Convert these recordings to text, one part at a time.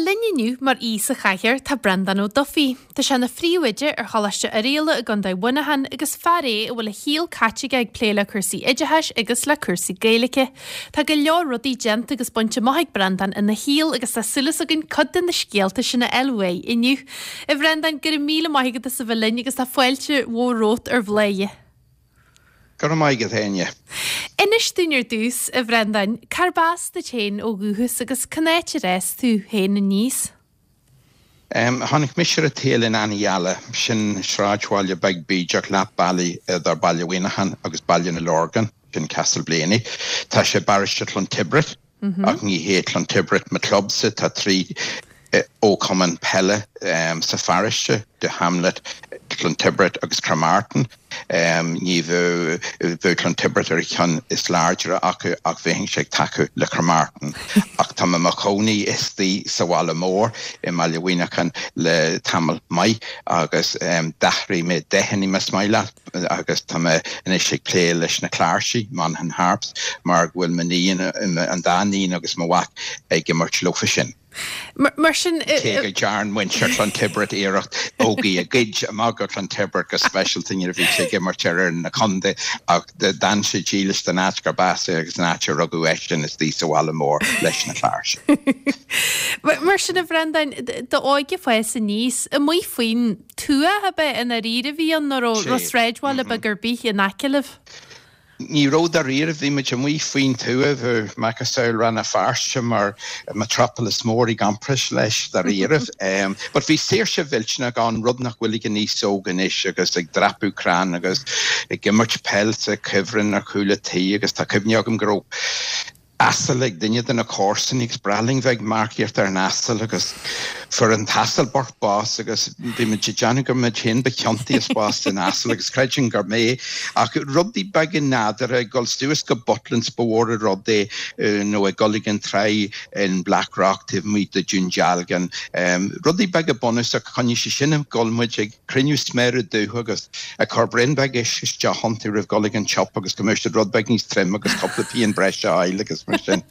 Bhuel, linn inniu mar aoi sa chathaoir tá Breandán Ó Dufaigh. Tá sé ina phríomhoide ar Choláiste Oirialla i gContae Mhuineacháin agus fear é a bhfuil a shaol caite aige ag plé le cúrsaí oideachais agus le cúrsaí Gaeilge. Tá go leor rudaí déanta agus bainte amach ag Breandán ina shaol agus tá súil againn cuid de na scéalta sin a fháil uaidh inniu. A Bhreandáin, go raibh míle maith agat as a bheith linn agus tá fáilte mhór romhat ar Bhláth. Go raibh maith agat, Áine. Inis dúinn ar dtús, a Bhreandáin, cárb as duit féin ó dhúchas agus cén áit ar fhás tú féin aníos? Tháinig mise ar an tsaol in Annyalla, sin sráidbhaile beag bídeach leath bealaigh idir Baile Mhuineacháin agus Baile na Lorgan, sin Castleblayney. Tá sé i bparóiste Clontibret. Ach ní hé Clontibret mo clubsa, tá 3 fhochumann peile sa pharóiste, Doohamlet, Clontibret agus Cremartin. Ní bheadh, bheadh Clontibret ar an cheann is láidre acu ach bheinnse ag tacú le Cremartin. Ach tá mé mo chónaí istigh sa bhaile mór i mBaile Mhuineacháin le tamall maith agus d'athraigh mé deicheanna más maith leat. agus tá mé anois ag plé leis na cláirsigh, Monaghan Harps, mar go bhfuil m'iníon, an dá iníon agus mo mhac ag imirt leofa sin. Mar sin. Cé go dtearn muintir Clontibret iarracht Ógie a ghoid amach go Clontibret go speisialta nuair a bhí sé ag imirt ar fhoireann na contae ach d'fhan sé dílis don áit gurb as é agus an áit a rugadh eisean istigh sa bhaile mór leis na cláirsigh. Mar sin a Bhreandáin, d'óige fás aníos, amuigh faoin tuath ab ea i ndáiríre a bhí ann nó raibh raibh sráidbhaile beag ar bith in aice libh? Ní raibh dáiríre, bhí muid amuigh faoin tuath, bheadh macasamhail Rann na Feirste mar metropolis mór i gcomparáid leis dáiríre. But bhí saoirse mhillteanach ann, rud nach bhfuil ag an aos óg anois agus ag dreapadh crann agus ag imirt peil sa chuibhreann ar chúl a' tí agus tá cuimhne agam go raibh asal ag duine de na comharsana agus b'bhreá linn bheith ag marcaíocht ar an asal agus fuair an t-asal bocht bás agus bhí muid ag déanamh gur muid féin ba chiontaí as bás den asal agus creidim gur mé ach rudaí beaga nádúrtha ag dul suas go Butlins ba mhór an rud é nó ag dul ag an tráigh in Black Rock taobh amuigh de Dún Dealgan rudaí beaga bunúsach choinnigh sé sin ag dul muid ag cruinniú sméara dubha agus ag cur braon beag uisce isteach iontu roimh dhul ag an tsiopa agus go mbeadh siad rud beag níos troime agus cúpla pian breise a fháil agus mar sin.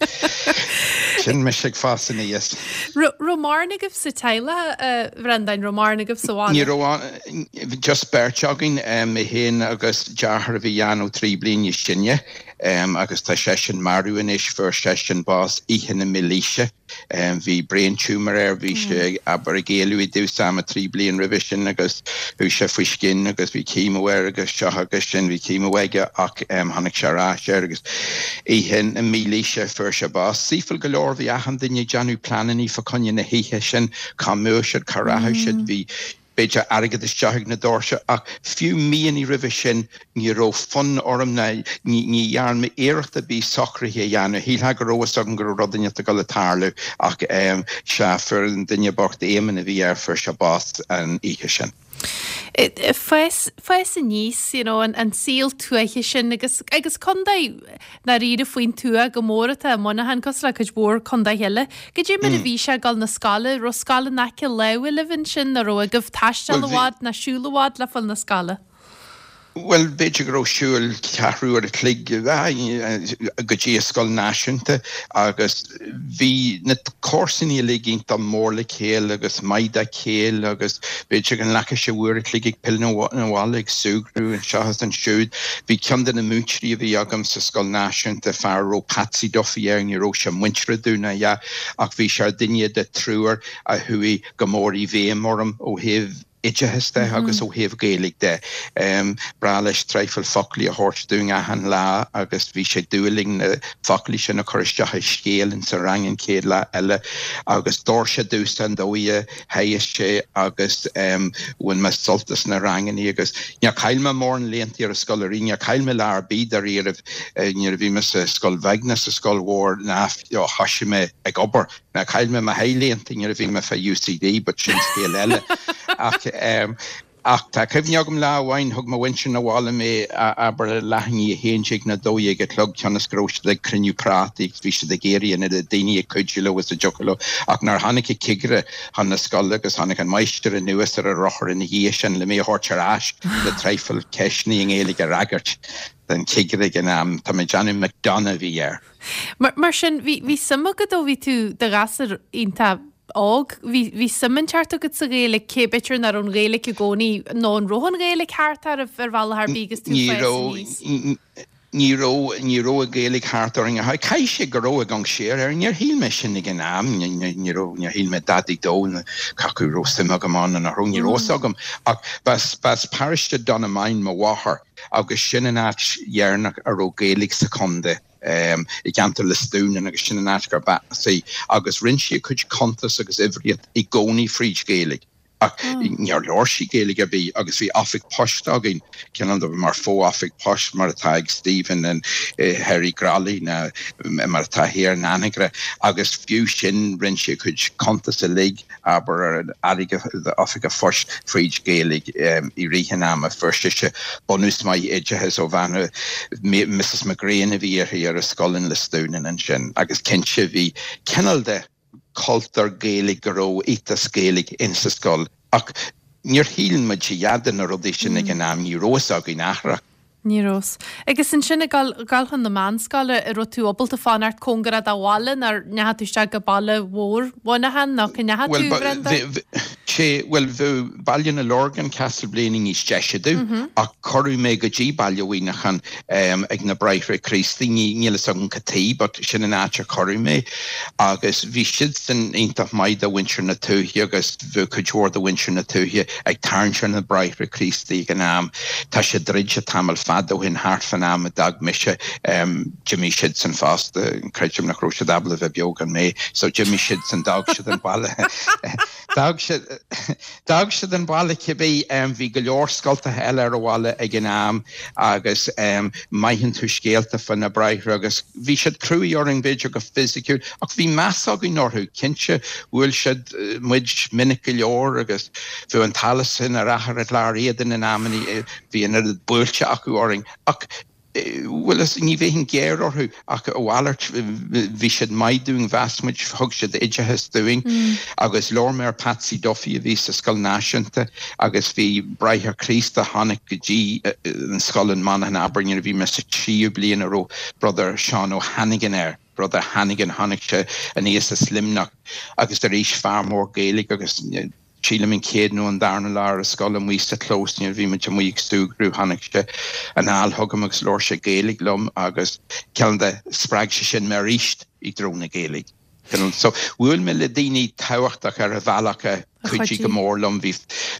Sin mise ag fás aníos. Raibh mórán agaibh sa teaghlach, a Bhreandáin, raibh mórán agaibh sa bhaile? Ní raibh, just beirt againn, mé féin agus deartháir a bhí dhá nó trí bliain níos sine agus tá seisean marbh anois, fuair seisean bás oíche na mílaoise. Bhí brain tumour air, bhí sé, abair, ag éalú i dtús ama 3 bliain roimhe sin agus chuaigh sé faoi scian agus bhí chemo air agus seo agus sin, bhí chemo aige ach tháinig sé ar ais air agus oíche na mílaoise fuair sé bás. Saoithiúil go leor, bhí achan duine ag déanamh pleanannaí fá choinne na hoíche sin, cá mbeadh siad, cá rachadh siad, bhí b'fhéidir airgead isteach ag na doirse ach fiú míonna roimhe sin ní raibh fonn orm ná ní dhearn mé iarracht ar bith socruithe a dhéanamh. Shílfeá go raibh fhios agam go raibh rud inteacht ag dul ag tarlú ach sea, fuair an duine bocht, Éamonn a bhí air, fuair sé bás an oíche sin. Fás, fás aníos, you know, an, an saol tuaithe sin agus, agus contae ndáiríre faoin tuath go mór atá i Muineachán, cosúil le cuid mhór contaetha eile. Goidé mar a bhí sé ag dul na scoile, raibh scoil in aice láimhe libh ansin, nó raibh agaibh taisteal i bhfad ná siúl i bhfad le fáil na scoile? Bhuel, b'fhéidir go raibh siúl ceathrú uair a chloig go dtí an scoil náisiúnta agus bhí na comharsanaí uilig iontach mór le chéile agus maith dá chéile agus b'fhéidir go nglacfadh sé uair a chloig ag pilleadh na bhaile ag súgradh anseo is ansiúd. Bhí ceann de na múinteoirí a bhí agam sa scoil náisiúnta, fear a raibh Patsy Duffy air, ní raibh sé muinteartha domh ná a dhath ach bhí sé ar dhuine de triúr a chuaigh go mór i bhfeidhm orm ó thaobh oideachas de agus ó thaobh Gaeilge de. B'bhreá leis traidhfil foclaí a thabhairt dúinn achan lá agus bhí sé ag dúil linn na foclaí sin a chur isteach i scéal in sa rang an chéad lá eile agus d'fhóir sé domhsa an dóigh a theagasc sé agus bhain mé sult as na rangannaí agus níor chaill mé mórán laethanta ar an scoil ariamh, níor chaill mé lá ar bith dáiríribh nuair a bhí mé sa scoil bheag ná sa scoil mhór ná ó thoisigh mé ag obair. Ná chaill mé mo shéith laethanta nuair a bhí mé fá UCD but sin scéal eile. Ach ach tá cuimhne agam lá amháin thug mo mhuintir na bhaile mé abair leath i ndiaidh a 11 nó 12 a chlog cionn is go raibh siad ag cruinniú prátaí agus bhí siad ag iarraidh an oiread daoine ag cuidiú leo is a dtiocfadh leo ach nuair a tháinig an cigire chun na scoile agus tháinig an máistir anuas ar a rothar ina dhiaidh sin le mé a thabhairt ar ais le traidhfil ceisteanna i nGaeilge a fhreagairt don chigire ag an am. Tá mé ag déanamh McDonagh a bhí air. Mar sin, bhí, bhí suim agat ó bhí tú i do ghasúr iontach. óg, bhí, bhí suim inteacht agat sa Ghaeilge, cé b'fhéidir nach raibh an Ghaeilge i gcónaí, nó an raibh an Ghaeilge thart oraibh ar bhealach ar bith agus tú Ní ag fás raibh, aníos? ní raibh, ní raibh an Ghaeilge thart orainn. Caithfidh sé go raibh ag amharc siar air, níor shíl mé sin ag an am, ní, ní, ní raibh, níor shíl mé dadaí dó, cé acu raibh suim agam ann nó nach raibh, ní raibh fhios agam. Ach b'as, b'as paróiste Donaghmoyne mo mháthair agus sin an áit dheireanach a raibh Gaeilge sa chontae. i gceantar Lisdoonan agus sin an áit gurb as í agus rinne sí a cuid cuntas agus uimhríocht i gcónaí fríd Ghaeilge ach níor labhair sí Gaeilge ar bith agus bhí oifig poist againn, cineál de mar fo-oifig poist mar atá ag Stephen in thoir i gCroithlí nó mar atá thiar in Anagaire agus fiú sin rinne sí a cuid cuntas uilig. abair, ar an airgead oifig an phoist fríd Ghaeilge i rith an ama. Fuair sise bunús maith oideachais ó bhean Mrs McGrane a bhí uirthi ar an scoil in Lisdoonan ansin agus cinnte bhí cineál de chultúr Gaeilge go raibh ethos Gaeilge insa scoil ach níor shíl muid a dhath de na rudaí sin ag an am, ní raibh fhios againn athrach. Ní raibh. Agus ansin ag dul, dul chun na meánscoile, an raibh tú ábalta fanacht cóngarach do bhaile nó ar ndeachaigh tú isteach go baile mhór Mhuineacháin nó cá ndeachaigh tú, Bhreandáin? Sé, bhuel, bheadh Baile na Lorgan, Castleblayney níos deise domh ach cuireadh mé go dtí Baile Mhuineacháin ag na Bráithre Críostaí, ní, níl fhios agam cad tuige but sin an áit a cuireadh mé agus bhí siadsan iontach maith do mhuintir na tuaithe agus Bheadh cuid mhór de mhuintir na tuaithe ag tarraingt ar na Bráithre Críostaí ag an am. Tá sé druidte tamall fada ó shin, thart fán am a d'fhág mise. D'imigh siadsan fosta, creidim nach raibh siad ábalta bheith beo gan mé, so d'imigh siadsan, d'fhág siad an baile. D'fhág siad, d'fhág siad an baile cibé. Bhí go leor scoltacha eile ar an bhaile ag an am agus maitheann tú scéalta fá na Bráithre agus bhí siad cruaidh orainn b'fhéidir go fisiciúil ach bhí meas againn orthu, cinnte. Bhuail siad muid minic go leor agus bheadh an t-allas inár athair i gClár Éadain in amannaí, bhí an oiread buailte acu orainn. Ach, bhuel, ní bheinn géar orthu ach a mhalairt, bhí siad maith dúinn, mheas muid, thug siad oideachas dúinn. Agus labhair mé ar Patsy Duffy a bhí sa Scoil Náisiúnta agus bhí Bráthair Críost a tháinig go dtí an scoil in Monaghan, abair, nuair a bhí mé sa tríú bliain a raibh Brother Seán O'Hannigan air. Brother Hannigan, tháinig sé aníos as Luimneach agus arís fear mór Gaeilge agus sílim an chéad nó an darna lá ar an scoil amuigh sa chlós nuair a bhí muid amuigh ag súgradh tháinig sé anall chugam agus labhair sé Gaeilge liom agus cineál de spreag sé sin mé arís i dtreo na Gaeilge. So bhuail mé le daoine tábhachtach ar an bhealach a chuidigh go mór liom. Bhí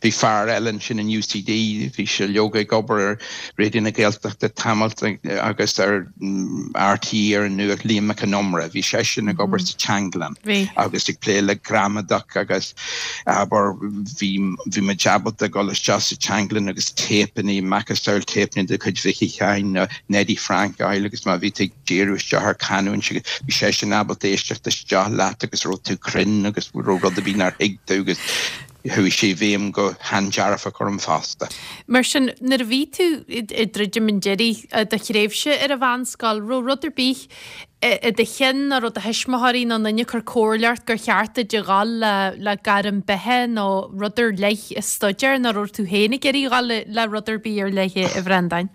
bhí fear eile ansin in UCD, bhí sé leoga ag obair ar Raidió na Gaeltachta tamalt agus ar RTÉ ar an nuacht, Liam Mac Con Iomaire, bhí seisean ag obair sa teanglann agus ag plé le gramadach agus abair bhí bhí muid ábalta dul isteach sa teanglann agus téipeanna, macasamhail téipeanna de chuid Mhicí Sheáin nó Neidí Frainc a fháil agus má bhí tú ag díriú isteach ar chanúint agus bhí seisean ábalta éisteacht isteach leat agus raibh tú cruinn agus raibh rud ar bith nár thuig tú agus chuaigh sé i bhfeidhm go han-dearfach orm fosta. Mar sin, nuair a bhí tú ag druidim an deiridh i do thréimhse ar an mheánscoil, raibh rud ar bith i do chinn nó raibh do thuismitheoirí nó aon duine ag cur comhairle ort gur cheart duit a dhul le gairm beatha nó rud ar leith a staidéar nó raibh tú féin ag iarraidh a dhul le rud ar bith ar leith, a Bhreandáin?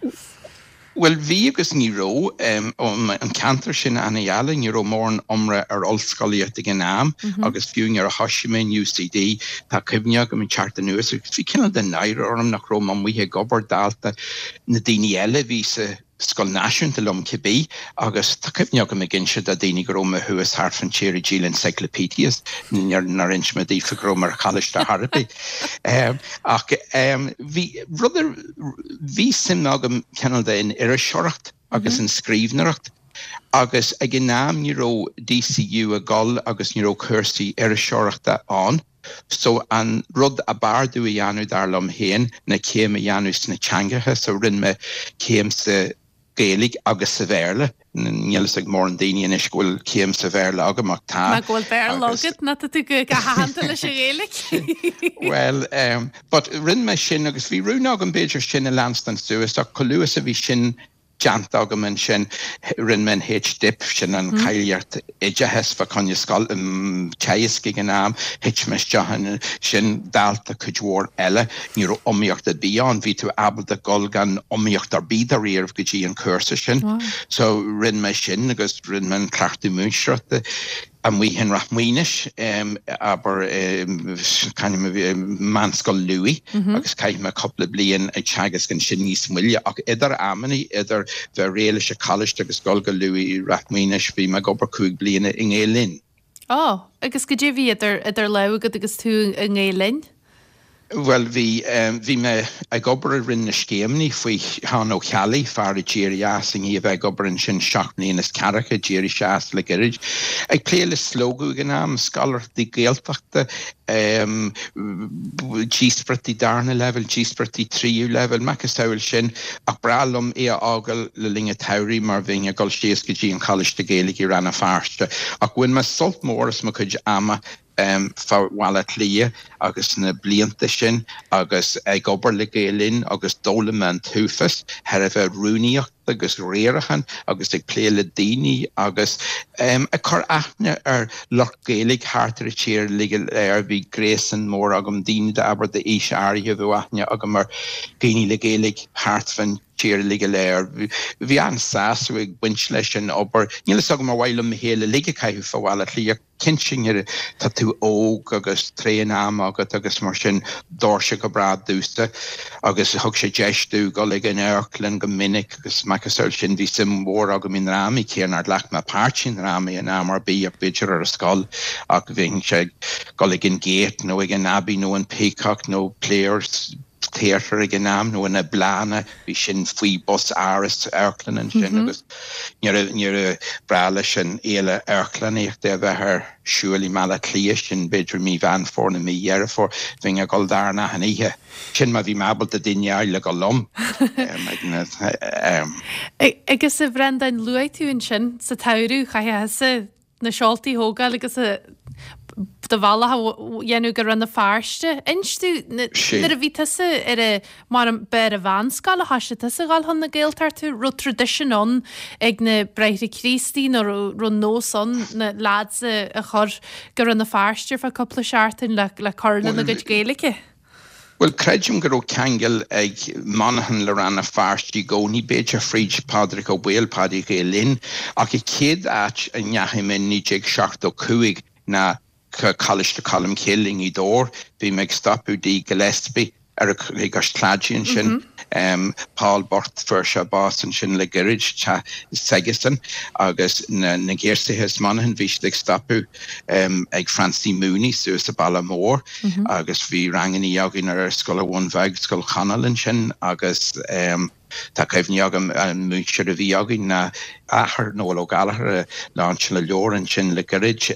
Bhuel, bhí agus ní raibh. An ceantar sin an-gheala, ní raibh mórán iomrá ar ollscolaíocht ag an am agus fiú nuair a thoisigh mé in UCD, tá cuimhne agam ag teacht anuas agus bhí cineál de náire orm nach raibh mé amuigh ag obair dálta na daoine eile a bhí sa scoil náisiúnta liom cibé agus tá cuimhne agam ag inse do daoine go raibh mé thuas thart fan tír ag díol encyclopedias, nár inis mé daofa go raibh mé ar choláiste ar chor ar bith. Ach bhí rud ar. Bhí suim agam cineál de in iriseoireacht agus in scríbhneoireacht agus ag an am ní raibh DCU ag dul agus ní raibh cúrsaí iriseoireachta ann so an rud ab fhearr domh a dhéanamh dar liom féin ná céim a dhéanamh sna teangacha so rinne mé céim sa Ghaeilge agus sa Bhéarla. Níl fhios ag mórán daoine anois go bhfuil céim sa Bhéarla agam ach tá. Má go bhfuil Béarla agat ná tá tú go haitheanta leis an Ghaeilge. Bhuel, but rinne mé sin agus bhí rún agam b'fhéidir sin a leanstan suas ach chomh luath is a bhí sin déanta agam ansin rinne mé an H-Dip, sin an cáilíocht oideachais fá choinne scoil, teagasc ag an am, thit mé isteach ansin, dálta cuid mhór eile, ní raibh iomaíocht ar bith ann, bhí tú ábalta dul gan iomaíocht ar bith dáiríre go dtí an cúrsa sin. So rinne mé sin agus rinne mé an cleachtadh múinteoireachta. Amuigh in Ráth Maonais, abair, c'ainm a bhí, Meánscoil Lughaidh agus chaith mé cúpla bliain ag teagasc ansin níos moille ach idir amannaí, idir bheith réidh leis an choláiste agus dul go Lughaidh, Ráth Maonais, bhí mé ag obair 5 bliana i nGael Linn. Ó, agus goidé a bhí idir, idir lámha agat agus tú i nGael Linn? Bhuel, bhí, bhí mé ag obair i Roinn na Scéimeanna faoi Sheán Ó Ceallaigh, fear a d'éirigh as i ndiaidh a bheith ag obair ansin seacht mbliana is ceathracha, d'éirigh sé as le gairid. Ag plé le Slógadh ag an am, scoláireachtaí Gaeltachta, díospóireachtaí darna leibhéal, díospóireachtaí tríú leibhéal, macasamhail sin, ach b'bhreá liom é a fhágáil le linn an tsamhraidh mar bheinn ag dul síos go dtí an Choláiste Gaeilge i Rann na Feirste. Ach bhain mé sult mór as mo chuid ama fá Bhaile Átha Cliath agus na blianta sin agus ag obair le Gael Linn agus d'fhoghlaim mé an t-uafás thairbhe rúnaíocht agus riarachán agus ag plé le daoine agus ag cur aithne ar lucht Gaeilge thart ar an tír uilig go léir. Bhí gréasán mór agam, daoine d'abair d'aois áirithe bheadh aithne agam ar dhaoine le Gaeilge thart fán tír uilig go léir. Bhí an-sásamh ag baint leis an obair. Níl fhios agam ar mhaith liom mo shaol uilig a chaitheamh fá Bhaile Átha Cliath. Cinnte nuair tá tú óg agus tréan ama agat agus mar sin d'fhóir sé go breá domhsa agus thug sé deis domh dul ag an amharclann go minic agus macasamhail sin bhí suim mhór agam i ndrámaí cé nár ghlac mé páirt i ndrámaí in am ar bith ach b'fhéidir ar an scoil ach bheinnse ag dul ag an Gate nó ag an Abbey nó an Peacock nó Players Theatre ag an am nó na Bláthanna, bhí sin faoi bhos áras amharclann ansin agus nuair ba bhreá leis an fhéile amharclannaíochta a bheith ar siúl i mBaile Átha Cliath, sin b'fhéidir mí Mheán Fómhair nó mí Dheireadh Fómhair, bheinn ag dul dar achan oíche. Sin má bhí mé ábalta duine a fháil le dhul liom. Agus a Bhreandáin, luaigh tú ansin sa tsamhradh, chaithfeá thusa na seoltaí a thógáil agus do bhealach a dhéanamh go Rann na Feirste. Inis domh, nuair a bhí tusa ar a, mar ba ar an mheánscoil a thoisigh tusa a dhul chun na Gaeltachta, raibh tradition ann ag na Bráithre Críostaí nó raibh nós ann na lads a chur go Rann na Feirste ar feadh cúpla seachtain le cur lena gcuid Gaeilge? Bhuel, creidim go raibh ceangal ag Monaghan le Rann na Feirste i gcónaí, b'fhéidir fríd Pádraig Ó Baoill, Paddy Ghael Linn, ach an chéad áit a ndeachaigh mé in 1975 ná Coláiste Cholmcille i nGaoth Dobhair. Bhí mé ag stopadh i dtigh Gillespie ar i gCois Claidí ansin. Paul bocht, fuair sé bás ansin le gairid, teach s'aigesan agus na giosuithe as Monaghan, bhí siad ag stopadh ag Francie Mooney suas sa Baile Mór. Agus bhí rangannaí againn ar Scoil an Bhun Bheag, Scoil Chonaill ansin agus tá cuimhní agam an múinteoir a bhí againn ná athair Noel Ó Gallchóir a lainseáil a leabhar ansin le gairid,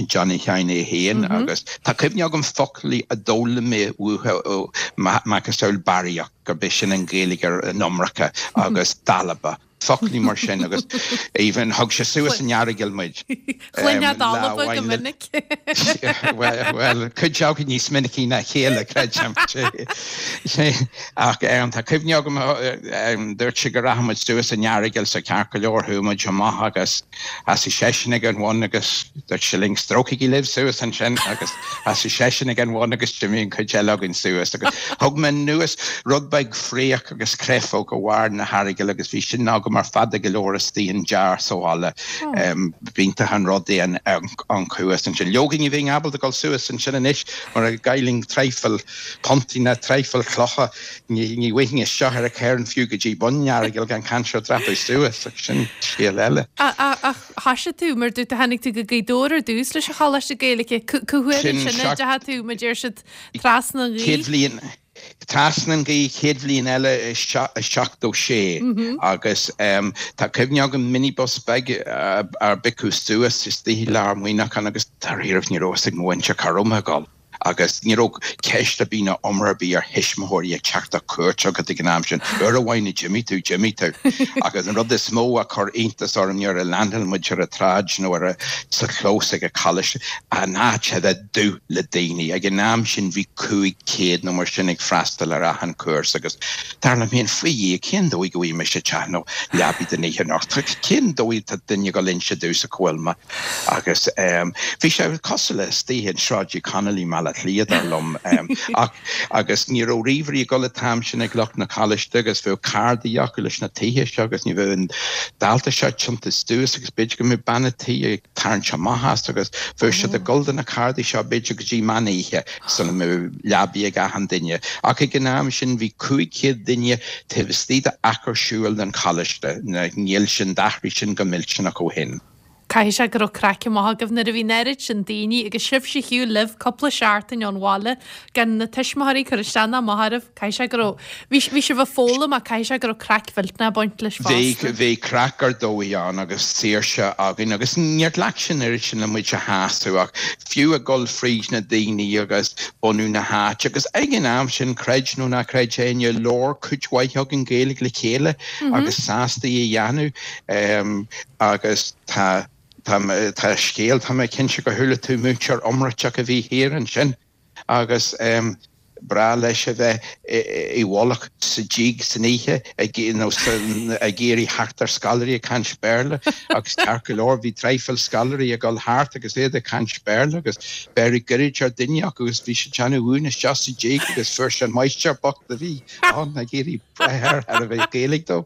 Johnny Sheáin é féin agus tá cuimhne agam foclaí a d'fhoghlaim mé uathu, macasamhail barraíocht, gurb é sin an Ghaeilge ar an iomarca agus dalba. foclaí mar sin agus even thug sé suas an Earagail muid. Chluinfeá dalba go minic. Bhuel, cuid againn níos minicí ná a chéile, creidim. Ach tá cuimhne agam, dúirt sé go rachadh muid suas an Earagail so ceart go leor, chuaigh muid amach agus sheasaigh seisean ag an bhun agus dúirt sé linn, strócaigí libh suas ansin agus sheasaigh seisean ag an bhun agus d'imigh an chuid eile againn suas agus thug mé anuas rud beag fraoch agus créafóg ó bharr na hEaragail agus bhí sin agam ar fada go leor istigh in jar sa bhaile. B'iontach an rud é an cuas ansin. Leoga ní bheinn ábalta dul suas ansin anois mar a gcaillfinn traidhfil puntaí ná traidhfil clocha ní bhfaighinn isteach ar an chairn fiú go dtí bun an Earagail gan caint ar dreapadh suas ach sin scéal eile. Ach thoisigh tú, mar dúirt tú tháinig tú go Gaoth Dobhair ar dtús leis an Choláiste Gaeilge. Cá huair ansin a dteachaigh tú, mar deir siad, trasna an ghaoth? Chéad bhliain. Trasna an ghaoth chéad bhliain eile i 76 agus tá cuimhne agam minibus beag ár bpiocadh suas istigh i lár Muineachán agus dáiríribh ní raibh fhios ag mo mhuintir cá raibh mé ag dul agus ní raibh ceist ar bith ná iomrá ar bith ar thuismitheoirí ag teacht ar cuairt agat ag an am sin. Uair amháin a d'imigh tú, d'imigh tú. Agus an rud is mó a chuir iontas orm nuair a leaindeáil muid ar an tsráid nó ar sa chlós ag an choláiste, an áit a bheith dubh le daoine. Ag an am sin bhí 500 nó mar sin ag freastal ar achan chúrsa agus dar liom féin, faoi Dhia, cén dóigh go bhfaighidh mise teach nó leabaidh don oíche anocht? Cén dóigh atá duine ag dul inse domhsa cá bhfuil mé? Agus bhí sé cosúil le istigh in Sráid Uí Chonaill i mBaile. Átha Cliath, dar liom. Ach, agus ní raibh ríomhairí ag dul an t-am sin ag lucht na coláiste agus bheadh cardaí acu leis na tithe seo agus ní bheadh an dalta seo tiontaithe suas agus b'fhéidir go mbeadh bean a' tí ag tarraingt amach as agus bheadh siad ag dul do na cardaí seo b'fhéidir go dtí meán oíche sula mbeadh leabaidh ag achan duine. Ach ag an am sin bhí 500 duine taobh istigh d'achar siúil den choláiste. Níl sin, d'athraigh sin go millteanach ó shin. Caithfidh sé go raibh craic maith agaibh nuair a bhí an oiread sin daoine agus sibhse ar shiúl libh cúpla seachtain ón bhaile gan na tuismitheoirí ag cur isteach ná amach oraibh. Caithfidh sé go raibh, bhí, bhí sibh ag foghlaim ach caithfidh sé go raibh craic mhillteanach ag baint leis Bhí, fosta. bhí craic ar dóigh ann agus saoirse againn agus níor ghlac sé an oiread sin le muid a shásamh ach fiú ag dul fríd na daoine agus bunú na háite agus ag an am sin, creid nó ná creid éinne, labhair cuid mhaith againn Gaeilge le chéile agus sásta í a dhéanamh. Agus tá, tá, tá scéal, tá mé cinnte gur chuala tú múinteoir iomráiteach a bhí thiar ansin agus em breá leis a bheith i bhfolach sa dtigh san oíche ag, nó sa, ag iarraidh theacht ar scoláirí ag caint Béarla agus ceart go leor bhí traidhfil scoláirí ag dul thart agus iad ag caint Béarla agus b'fhearr goirid ar duine acu agus bhí sé ag déanamh uain isteach sa dtigh agus fuair sé an máistir bocht a bhí ann ag iarraidh breith air thar a bheith Gaeilge dó.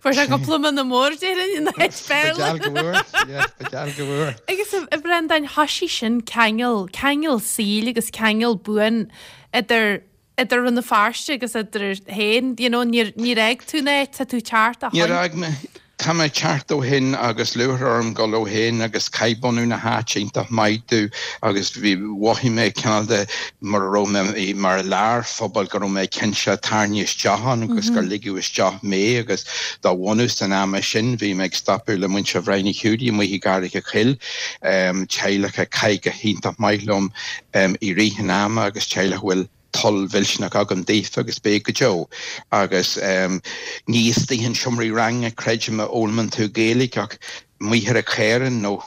Fuair sé cúpla mionna mór déarfainn in áit Béarla. Ba gheall go bhfuair, yeah, ba gheall go bhfuair. Agus a Bhreandáin, thoisigh sin ceangal, ceangal saoil agus ceangal buan idir idir Rann na Feirste agus idir féin, you know, níor níor fhág tú an áit, tá tú teacht ó shin. Níor fhág mé. Tá mé ag teacht ó shin agus lúcháir orm dul ó shin agus chaith bunú na háite iontach maith domh agus bhí, mhothaigh mé cineál de mura raibh mé mar i lár phobail go raibh mé cinnte tarraingthe isteach ann agus gur ligeadh isteach mé agus dá bhunús an ama sin bhí mé ag stopadh le muintir Bhrian Uí Hiúdaí amuigh i gCarraig a' Choill, teaghlach a chaith go hiontach maith liom i rith an ama agus teaghlach a bhfuil toil mhillteanach agam daofa agus beidh go deo. Agus ní istigh in seomraí ranga, creidim, a fhoghlaimeann tú Gaeilge ach amuigh ar an chaorán nó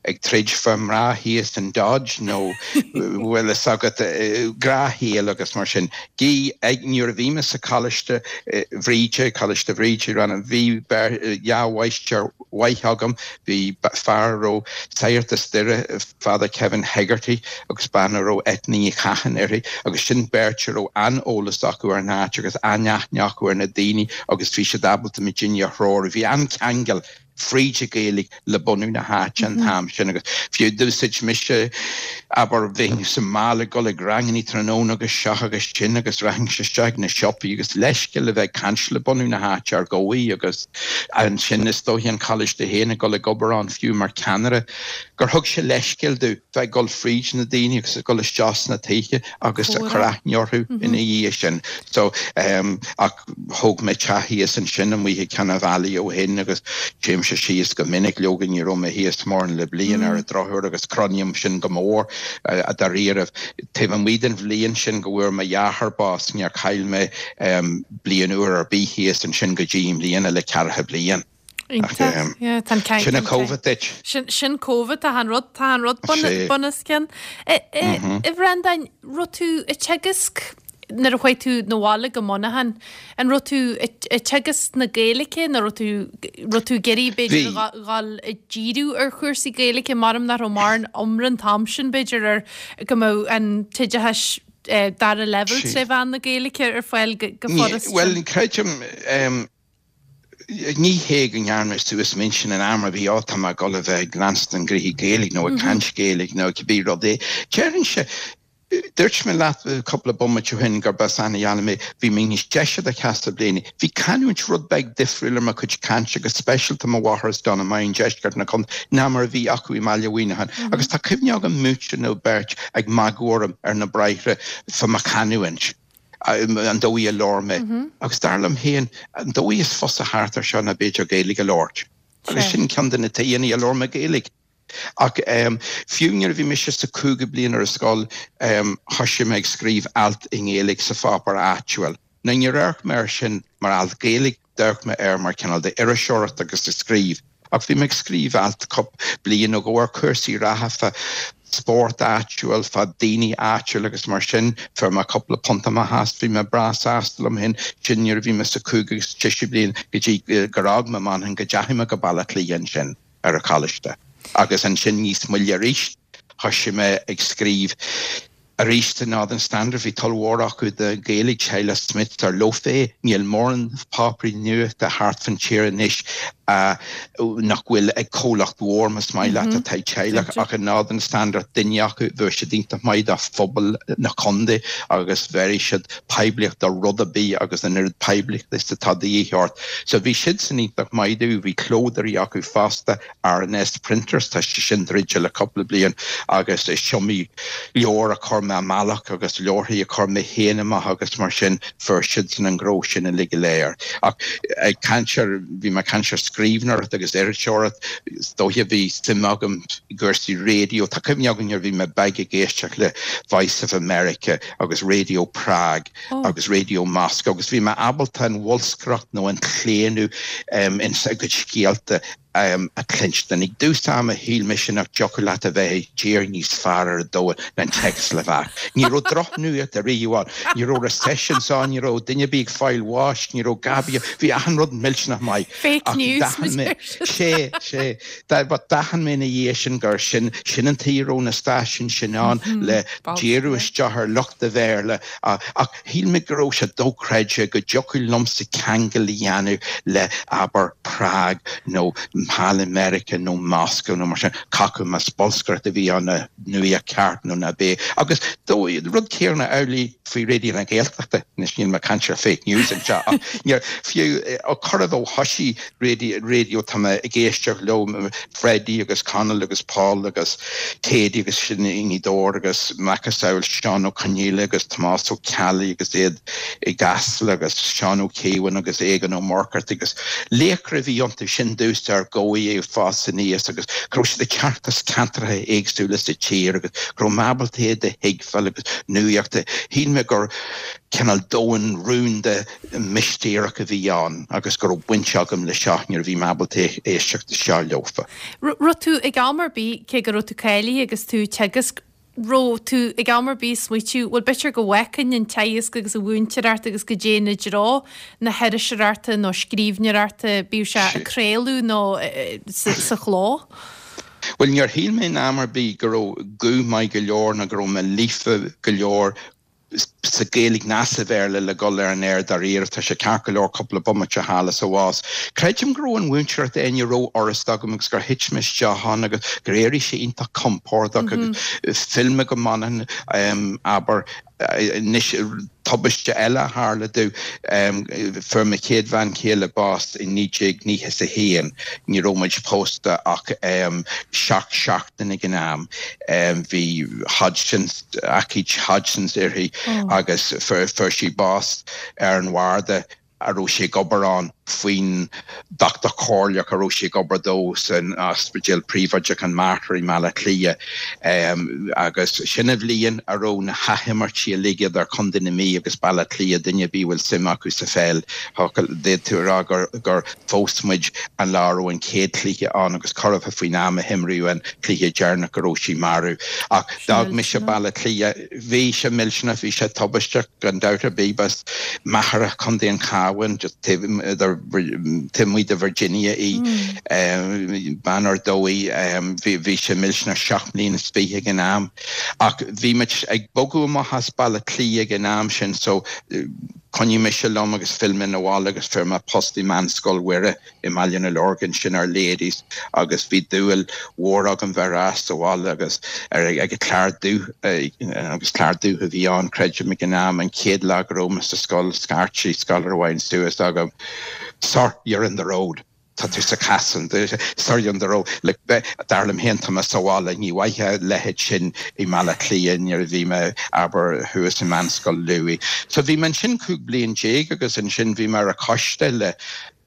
ag troid fá mná thíos in Dodge nó bhfuil fhios agat, gnáthshaol agus mar sin. Gí, ag, nuair a bhí mé sa Choláiste Bhríde, Coláiste Bhríde i Rann, bhí dhá mháistir mhaith agam, bhí fear a raibh Sagart as Doire, Father Kevin Hegarty agus bean a raibh Eithne Ní Chatháin uirthi agus sin beirt a raibh an-eolas acu ar an áit agus an-aithne acu ar na daoine agus bhí siad ábalta muidinne a threorú. Bhí an-cheangal fríd an Ghaeilge le bunú na háite an t-am sin agus fiú d'úsáid mise, abair, bheinn sa mbaile ag dul ag rangannaí tráthnóna agus seo agus sin agus rachainnse isteach ag na siopaí agus leithscéal a bheith ag caint le bunú na háite ar dhóigh agus ansin is dóiche an coláiste féin ag dul ag obair ann fiú mar cheannaire gur thug sé leithscéal domh bheith ag dul fríd na daoine agus ag dul isteach sna tithe agus ag cur aithne orthu ina dhiaidh sin. So, ehm, ach thóg mé teach thíos ansin amuigh ag Ceann an Bhealaigh ó shin agus téimse síos go minic, leoga ní raibh mé thíos mórán le bliain ar an drochuair agus cronaím sin go mór, dáiríribh. Taobh amuigh den bhliain sin go bhfuair mo dheartháir bás, níor chaill mé, ehm, bliain úr ar bith thíos ansin go dtí i mbliana le ceathracha bliain. Iontach. Yeah, tá an ceann. Sin an Covid duit. Sin, sin Covid, tá an rud, tá an rud bun, bunoscionn. A Bhreandáin, raibh tú ag teagasc nuair a chuaigh tú 'na bhaile go Muineachán, an raibh tú ag teagasc na Gaeilge nó raibh tú, raibh tú ag iarraidh b'fhéidir a dhul ag díriú ar chúrsaí Gaeilge maram nach raibh mórán iomrá an t-am sin b'fhéidir ar go mbeadh an t-oideachas dara leibhéal tré mheán na Gaeilge ar fáil go furasta. Bhuel, creidim, Ní hé go ndearna mé suas m'intinn in am ar bith, á, tá mé ag dul a bheith ag leanstan gnoithí Gaeilge nó ag caint Gaeilge nó cibé rud é. Déarfainnse, dúirt mé leat cúpla bomaite ó shin gurb as Eanach Mheálla mé, bhí mé níos deise do sheasta bliana. Bhí canúint rud beag difriúil ar mo chuid cainte, go speisialta mo mháthair as Donemine, deisceart na contae, ná mar a bhí acu i mBaile Mhuineacháin. Agus tá cuimhne agam múinteoir nó beirt ag magadh orm ar na bráithre fá mo chanúint. an dóigh a labhair mé. Agus dar liom féin, an dóigh is fusa thart ar seo ná b'fhéidir Gaeilge a labhairt. Agus sin ceann de na tuigeanna a labhair mé Gaeilge. Ach fiú nuair a bhí mise sa cúigiú bliain ar an scoil, thoisigh mé ag scríobh alt i nGaeilge sa pháipéar áitiúil. Now níor amharc mé air sin mar alt Gaeilge, d'amharc mé air mar cineál de iriseoireacht agus ag scríobh. Ach bhí mé ag scríobh alt cúpla bliain nó dhó ar chúrsaí reatha fá spórt áitiúil, fá daoine áitiúil agus mar sin. Fuair mé cúpla punt amach as, bhí mé breá sásta liom féin. Sin nuair a bhí mé sa cúigiú agus tríú bliain go dtí gur fhág mé Manchain go dteachaigh mé go Baile Átha Cliath ansin ar an choláiste. Agus ansin níos moille arís. Thoisigh mé ag scríobh arís sa Northern Standard. Bhí toil mhór acu do Ghaeilge, Teaghlach Smith, dar leo féin. Níl mórán páipéirí nuachta thart fan tír anois nach bhfuil ag comhlacht mhór, más maith leat, atá ag teaghlach, ach an Northern Standard, duine acu, bheadh siad iontach maith do phobal na contae agus bhéarfaidh siad poiblíocht do rud ar bith agus an oiread poiblíochta is atá de dhíth ort. So bhí siadsan iontach maith domh, bhí clódóirí acu fosta, R&S Printers, tá sé sin druidte le cúpla bliain agus is iomaí leabhar a chuir mé amach agus leabharthaí a chuir mé féin amach agus mar sin fuair siadsan an gnó sin uilig go léir. Ach ag caint ar, bhí mé ag caint ar scríbhneoireacht agus iriseoireacht, is dóiche bhí suim agam i gcúrsaí raidió, tá cuimhne agam nuair a bhí mé beag ag éisteacht le Voice of America agus Radio Prague agus Radio Moscow agus bhí mé ábalta an bholscaireacht nó an claonadh ins a gcuid scéalta a chluinstin. Ag dtús ama shíl mise nach dtiocfadh leat a bheith i dtír níos fearr ar an domhan ná an tSeicslóvaic. Ní raibh drochnuacht ariamh ann. Ní raibh recessions ann, ní raibh duine ar bith ag fáil bháis, ní raibh gabi, bhí achan rud millteanach maith. Fake news, mar a deir siad. Sé, sé. But d'aithin mé ina dhiaidh sin gur sin, sin an tuige a raibh na stáisiúin sin ann le díriú isteach ar lucht an Bhéarla ach Shíl mé go raibh sé dochreidte go dtiocfadh liomsa ceangal a dhéanamh le, abair, Prág nó thall i Meiriceá nó Moscow nó mar sin, cé acu más bolscaireacht a bhí ann nó nuacht ceart nó ná b'é. Agus rud céanna amhlaidh faoi Raidió na Gaeltachta, anois níl mé ag caint ar fake news anseo ach níor, fiú ó chorradh ó thoisigh raidió tá mé ag éisteacht leo, Freddie agus Conall agus Paul agus Katie agus sin i nGaoth Dobhair agus macasamhail Seán Ó Conghaile agus Tomás Ó Ceallaigh agus iad i gCasla agus Seán Ó Cíobháin agus Aogán Ó Muircheartaigh agus laochra a bhí iontu sin domhsa ar dhóigh ag fás aníos agus go raibh siad ag teacht as ceantracha éagsúla sa tír agus go raibh mé ábalta iad a thuigbheáil agus nuacht shíl mé gur cineál domhan rúnda mistéireach a bhí ann agus go raibh baint agam le seo nuair a bhí mé ábalta éisteacht isteach leofa. Raibh tú ag am ar bith, cé go raibh tú cáilithe agus tú ag teagasc, raibh tú ag am ar bith ag smaoitiú, bhuel b'fhéidir go bhfágfainn an teagasc agus an mhúinteoireacht agus go dtéinn i dtreo na hiriseoireachta nó scríbhneoireachta, bíodh sé ag craoladh nó sa chló? Bhuel, níor shíl mé in am ar bith go raibh guth maith go leor nó go raibh mé líofa go leor sa Ghaeilge ná sa Bhéarla le dhul ar an aer dáiríre. Tá sé ceart go leor cúpla bomaite thall is abhus. Creidim go raibh an mhúinteoireacht éinne rófhurasta agam agus gur thit mé isteach ann agus gur éirigh sé iontach compordach agus phill mé go Manchain, abair, anois tubaiste eile a tharla domh, fuair mo chéad bhean chéile bás i 1991, ní raibh muid pósta ach 7 seachtain ag an am. Bhí Hodgkin's, aicíd Hodgkin's uirthi agus fuair sí bás ar an bharda a raibh sí ag obair ann faoin dochtúir comhairleach a raibh sí ag obair dó san ospidéal príobháideach an Mater i mBaile Átha Cliath agus sin an bhliain a raibh na hathimirtí uilig idir Contae na Mí agus Baile Átha Cliath, duine ar bith a bhfuil suim acu sa pheil, d'fhéadfá a rá gur phós muid an lá a raibh an chéad chluiche ann agus corradh faoin am a himríodh an cluiche deireanach go raibh sí marbh. Ach d'fhág mise Baile Átha Cliath. Bhí sé millteanach, bhí sé tubaisteach gan dabht ar bith. B'as Machaire, Contae an Chabháin, just taobh amuigh de Virginia í, bean ar dóigh. Bhí sé millteanach, 27 mbliana ag an am. Ach bhí muid ag bogadh amach as Baile Átha Cliath ag an am sin so Choinnigh mise liom agus phill mé 'na bhaile agus fuair mé post i Meánscoil Mhuire i mBaile na Lorgan, sin Our Ladies, agus bhí dúil mhór agam bheith ar ais sa bhaile agus ar ag an Clár Dubh, agus Clár Dubh a bhí ann, creidim, ag an am, an chéad lá go raibh mé sa scoil, scairt sí scoláire amháin suas agam, Sir, you're in the road. Tá tú sa chasán, sir you're in the road. Like, dar liom féin, tá mé sa bhaile, ní bhfaighfeá a leithéid sin i mBaile Átha Cliath nuair a bhí mé, abair, thuas i Meánscoil Louis. So bhí mé ansin 15 bliain agus ansin bhí mé ar an choiste le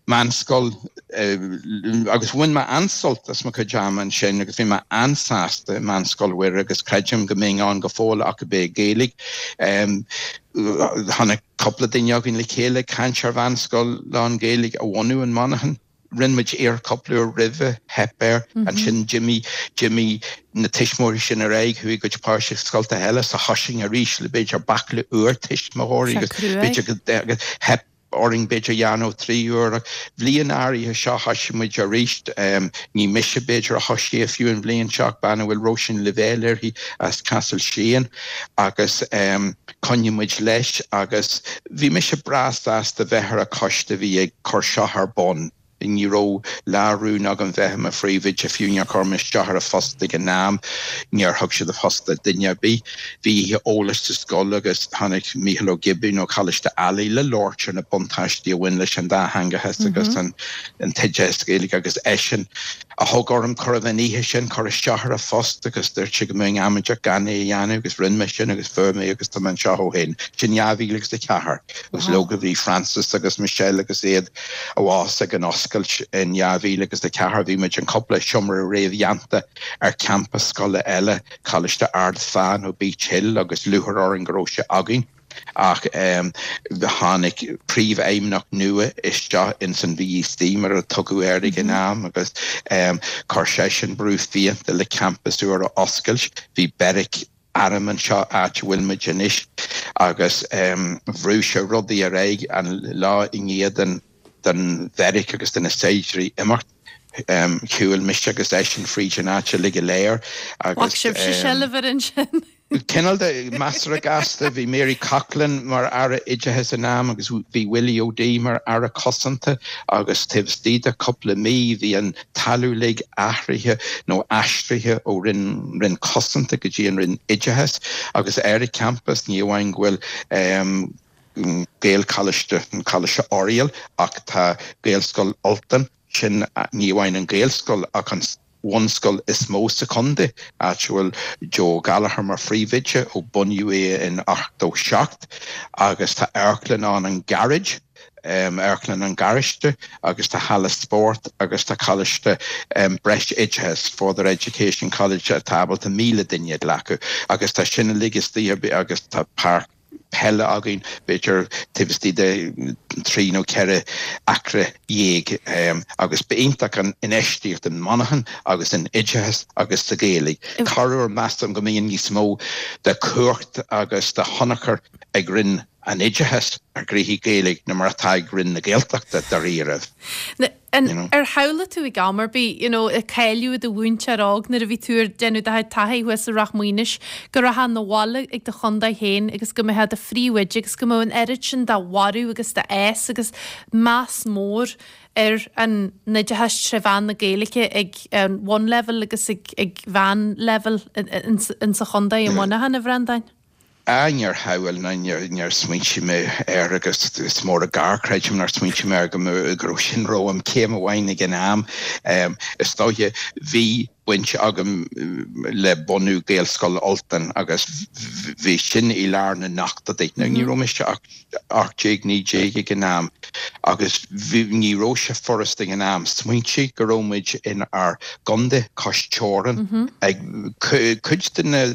meánscoil agus bhain mé an-sult as mo chuid ama ansin agus bhí mé an-sásta i Meánscoil Mhuire agus creidim go mbeinn ann go fóill ach go mbeadh Gaeilge. Tháinig cúpla duine againn le chéile ag caint ar mheánscoil lán-Ghaeilge a bhunú in Manchain. Rinne muid iarracht cúpla uair roimhe, theip air. Ansin d'imigh, d'imigh na tuismitheoirí sin ar aghaidh, chuaigh a gcuid páistí chuig scoltacha eile, so thosaigh arís le b'fhéidir baicle úr tuismitheoirí agus b'fhéidir go, agus theip. orainn b'fhéidir a dhéanamh 3 uair ach bhliain áirithe seo thoisigh muid arís. Ní mise b'fhéidir a thoisigh é fiú an bhliain seo ach bean a bhfuil Róisín Lavelle uirthi as Castle Sheehan agus choinnigh muid leis agus bhí mise breá sásta bheith ar an choiste a bhí ag cur seo ar bun. Ní raibh lá rún agam bheith i mo phríomhoide, fiú níor chuir mé isteach ar an phost ag an am, níor thug siad an phost do duine ar bith. Bhí oíche eolais sa scoil agus tháinig Mícheál Ó Giobúin ó Choláiste Ailigh le labhairt ar na buntáistí a bhain leis an dátheangachas agus an t-oideachas Gaeilge agus eisean a thug orm cuireadh an oíche sin cur isteach ar an phost agus dúirt sé go mbeinn amaideach gan é a dhéanamh agus rinne mé sin agus fuair mé agus tá mé anseo ó shin. Sin 2004 agus leoga bhí Francis agus Michelle agus iad abhus ag an oscailt in 2004 bhí muid in cúpla seomra réamhdhéanta ar champas scoile eile, Coláiste Ard Fheá nó Beech Hill agus lúcháir orainn go raibh sé againn. Ach tháinig príomhfheidhmeannach nua isteach ins an VEC mar a tugadh air ag an am agus chuir seisean brú fiánta le campas úr a oscailt. Bhí beairic airm anseo, áit a bhfuil muid anois, agus bhrú sé rudaí ar aghaidh an lá i ndiaidh den den bheairic agus de na saighdiúirí imeacht. Shiúil mise agus eisean fríd an áit uilig go léir agus. Ghlac sibhse seilbh air ansin. Cineál de, measartha gasta. Bhí Mary Coughlan mar Aire Oideachais ag an am agus bhí Willie O'Dea mar Aire Cosanta agus taobh istigh de cúpla mí bhí an talamh uilig athraithe nó aistrithe ó Roinn Roinn Cosanta go dtí an Roinn Oideachais agus ar an champas ní amháin go bhfuil Gaelcholáiste, an Coláiste Oiriall ach tá Gaelscoil Ultain, sin ní amháin an Ghaelscoil ach an bhunscoil is mó sa chontae, áit a bhfuil Joe Gallagher mar phríomhoide ó bunaíodh é in 87 agus tá amharclann ann, an Garage. Amharclann an Gharáiste agus tá halla spóirt agus tá coláiste breisoideachais, Further Education College, atá ábalta 1,000 duine a ghlacadh agus tá sin uilig istigh agus tá páirc peile againn, b'fhéidir taobh istigh de thrí nó cheithre acra dhéag agus b'iontach an infheistíocht in Monaghan agus in oideachas agus sa Ghaeilge. Corruair measaim go mbíonn níos mó de chumhacht agus de thionchar ag Roinn an Oideachais ar ghnoithí Gaeilge ná mar atá ag Roinn na Gaeltachta, dáiríribh. Ar shamhlaigh tú ag am ar bith, you know, ag cáiliú i do mhúinteoir óg nuair a bhí tú ag déanamh do chuid taithí thuas i Ráth Maonais, go rachfá 'na bhaile ag do chontae féin agus go mbeifeá i do phríomhoide agus go mbeadh an oiread sin de bhorradh agus de fhás agus meas mór ar an oideachas tré mheán na Gaeilge ag an bhunleibhéal agus ag ag mheánleibhéal insa chontae i Muineachán, a Bhreandáin? Ah, níor shamhail ná níor smaointigh mé air agus is mór an gar, creidim, nár smaointigh mé air go go raibh sin romham céim amháin ag an am. Is dóiche, bhí baint agam le bunú Gaelscoil Ultain agus bhí sin i lár na n-ochtóidí. Now ní raibh mise ach 18, 19 ag an am agus bhí, ní raibh sé furasta ag an am smaointigh go raibh muid in ár gcontae cois teorann ag cuid de na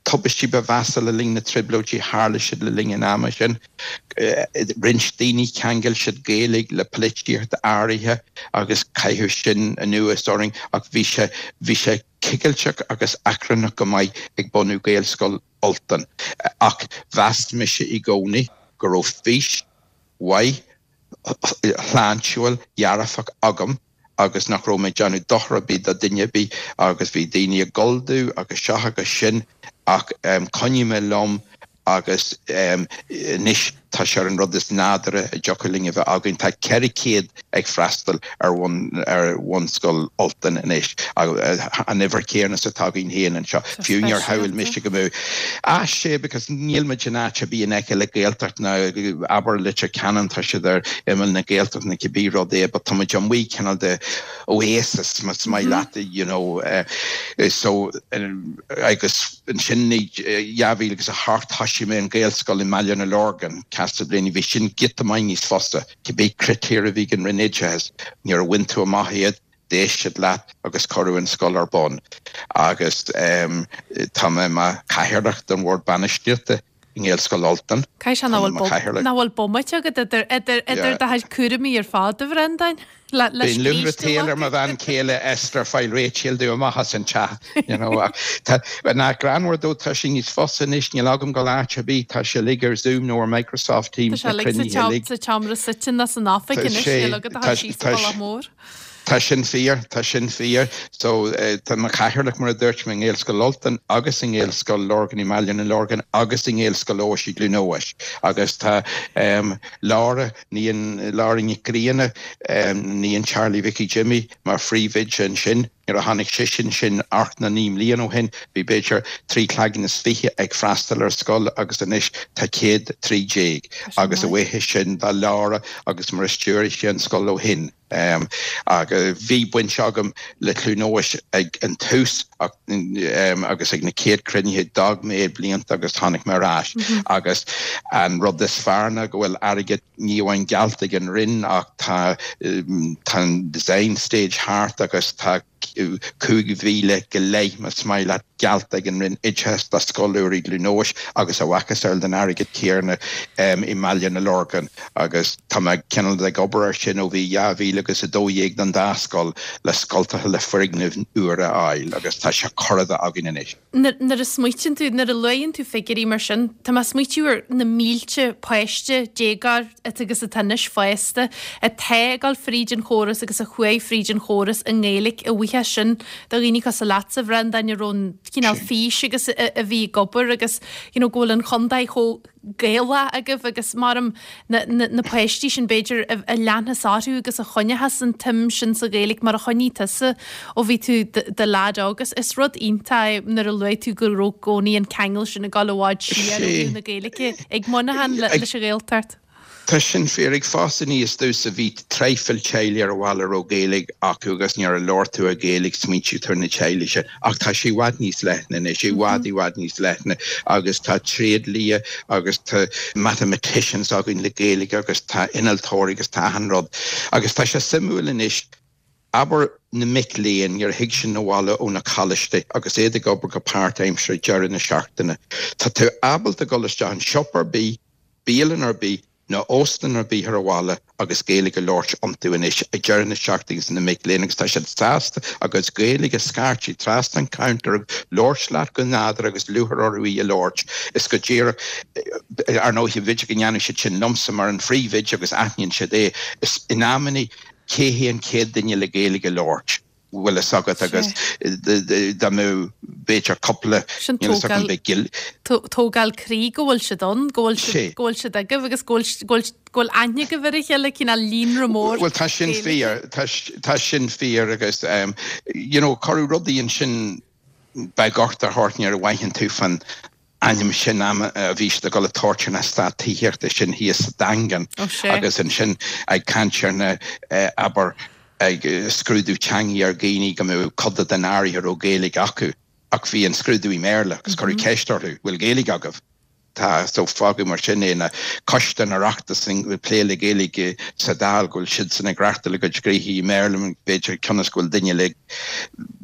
tubaistí ba mheasa le linn na Trioblóidí, tharla siad le linn an ama sin. Roinnt daoine, cheangail siad Gaeilge le polaitíocht áirithe agus caitheadh sin anuas orainn ach bhí sé, bhí sé cigilteach agus achrannach go maith ag bunú Gaelscoil Ultain. Ach mheas mise i gcónaí go raibh fís mhaith, shláintiúil, dhearfach agam agus nach raibh mé ag déanamh dochar ar bith do duine ar bith agus bhí daoine ag gol domh agus seo agus sin ach choinnigh mé liom agus anois tá sé ar an rud is nádúrtha a dtiocfadh linn a bheith againn. Tá 400 ag freastal ar ar bhunscoil Ultain anois, an uimhir chéanna is atá againn féin anseo. Fiú níor shamhail mise go mbeadh Ah sea, because níl muid in áit ar bith in aice le Gaeltacht ná abair Leitir Ceanainn, tá siad ar imeall na Gaeltachta nó cibé rud é, but tá muid amuigh cineál de oasis, más maith leat, you know. So, agus ansin i 2008 thoisigh mé an Ghaelscoil i mBaile na Lorgan, Castleblayney, bhí sin giota maith níos fusa, cibé critéir a bhí ag an Roinn Oideachais, nuair a bhain tú amach iad, d'éist siad leat agus cuireadh an scoil ar bun agus tá mé mar chathaoirleach den bhord bainistíochta. i nGaelscoil Ultain. Caithfidh sé nach bhfuil nach bhfuil bomaite agat idir idir idir do chuid cúraimí ar fad, a Bhreandáin, le le Bíonn lúthra an tsaoil ar mo bhean chéile Esther fáil réitigh domh amach as an teach, you know, ach tá, nach greannmhar dó, tá sé níos fusa anois, níl agam dul áit ar bith, tá sé uilig ar Zoom nó ar Microsoft Teams, Tá sé na uilig sa cruinnithe uilig. sa tseomra suite nó san oifig anois, níl agat ach dul síos an bealach mór. Tá sin fíor, tá sin fíor. So, tá mo chathaoirleach, mar a dúirt mé, i nGaelscoil Ultain agus i nGaelscoil Lorgan i mBaile na Lorgan agus i nGaelscoil Eois i gCluain Eois. Agus tá Laura, níon Laura Nic Grianna, níon Charlie Mhicí Jimmy, mar phríomhoide ansin. Nuair a tháinig sise ansin ocht nó 9 mbliana ó shin, bhí b'fhéidir 3 cloigeann is fiche ag freastal ar scoil agus anois tá 113. Agus a bhuíochas sin do Laura agus mar a stiúraigh sí an scoil ó shin. Agus bhí baint agam le Cluain Eois ag an tús agus ag na chéad cruinnithe, d'fhág mé blianta agus tháinig mé ar ais. Agus an rud is fearr ná go bhfuil airgead ní amháin geallta ag an Roinn ach tá tá an design stage thart agus tá 5,000 go leith, más maith leat, geallta ag an Roinn Oideachais do scoil úr i gCluain Eois agus a mhacasamhail den airgead céanna i mBaile na Lorgan agus tá mé cineál ag obair air sin ó bhí 2012 don dá scoil le scoltacha le foirgnimh úr a fháil agus tá sé curtha againn anois. Nuair a smaoitíonn tú, nuair a luaigheann tú figiúirí mar sin, tá mé ag smaoitiú ar na mílte páiste, déagóir agus atá anois fásta, atá ag dul fríd an chóras agus a chuaigh fríd an chóras i nGaeilge, a bhuíochas sin do dhaoine cosúil leatsa, a Bhreandáin, a raibh an cineál fís agus a bhí ag obair agus you know go bhfuil an chontae chomh Gaelach agaibh agus maram na, na, na páistí sin b'fhéidir a, a leanfas orthu agus a choinneochas an tsuim sin sa Ghaeilge mar a choinnigh tusa ó bhí tú i do leaid óg. Is, is rud iontach é nuair a luaigh tú go raibh i gcónaí an ceangal sin ag dul i bhfad siar ó thaobh na Gaeilge ag Muineachán le, leis an Ghaeltacht. Tá sin fíor. Ag fás aníos domhsa bhí traidhfil teaghlaigh ar an bhaile a raibh Gaeilge acu agus nuair a labhair tú i Gaeilge smaointigh tú ar na teaghlaigh sin. Ach tá sé i bhfad níos leithne anois, i bhfad i bhfad níos leithne agus tá tréidlia agus tá mathematicians againn le Gaeilge agus tá innealtóirí agus tá achan rud. Agus tá sé suimiúil anois, abair na mic léinn nuair a thig siad 'na bhaile ó na coláistí agus iad ag obair go páirtaimseartha ag deireadh na seachtaine, tá tú ábalta dul isteach in siopa ar bith, bialann ar bith nó óstlann ar bith ar an bhaile agus Gaeilge a labhairt iontu anois ag deireadh na seachtaine agus na mic léinn agus tá siad sásta a gcuid Gaeilge a scairteadh trasna an counter agus labhairt leat go nádúrtha agus lúcháir orthu í a labhairt. Is go díreach, ar ndóigh, b'fhéidir go ndéanadh siad sin liomsa mar an phríomhoide agus aithníonn siad é. Is in amannaí, cé hé an chéad duine le Gaeilge a labhairt? bhfuil fhios agat agus dá mbeadh b'fhéidir cúpla Sin níl fhios agam beidh gil. Tógáil croí go bhfuil siad ann, go bhfuil siad, go bhfuil siad agaibh agus go bhfuil, go bhfuil, go bhfuil aithne agaibh ar a chéile, cineál líonra mór Bhuel tá sin fíor, tá, tá sin fíor agus you know cuireadh rudaí ansin beidh ort a thabhairt nuair a bhfaigheann tú fan ainm sin a bhí siad ag dul a tabhairt ar an eastát tithíochta sin thíos sa Daingean agus ansin ag caint ar na, abair, ag scrúdú teangaí ar dhaoine go mbeadh coda den áirithe a raibh Gaeilge acu ach bhí an scrúdú i mBéarla agus cuireadh ceist orthu, bhfuil Gaeilge agaibh? Tá, so fágadh mar sin é na coiste an Oireachtais ag plé le Gaeilge sa Dáil go bhfuil siadsan ag reachtáil a gcuid gnoithí i mBéarla b'fhéidir cionn is go bhfuil duine le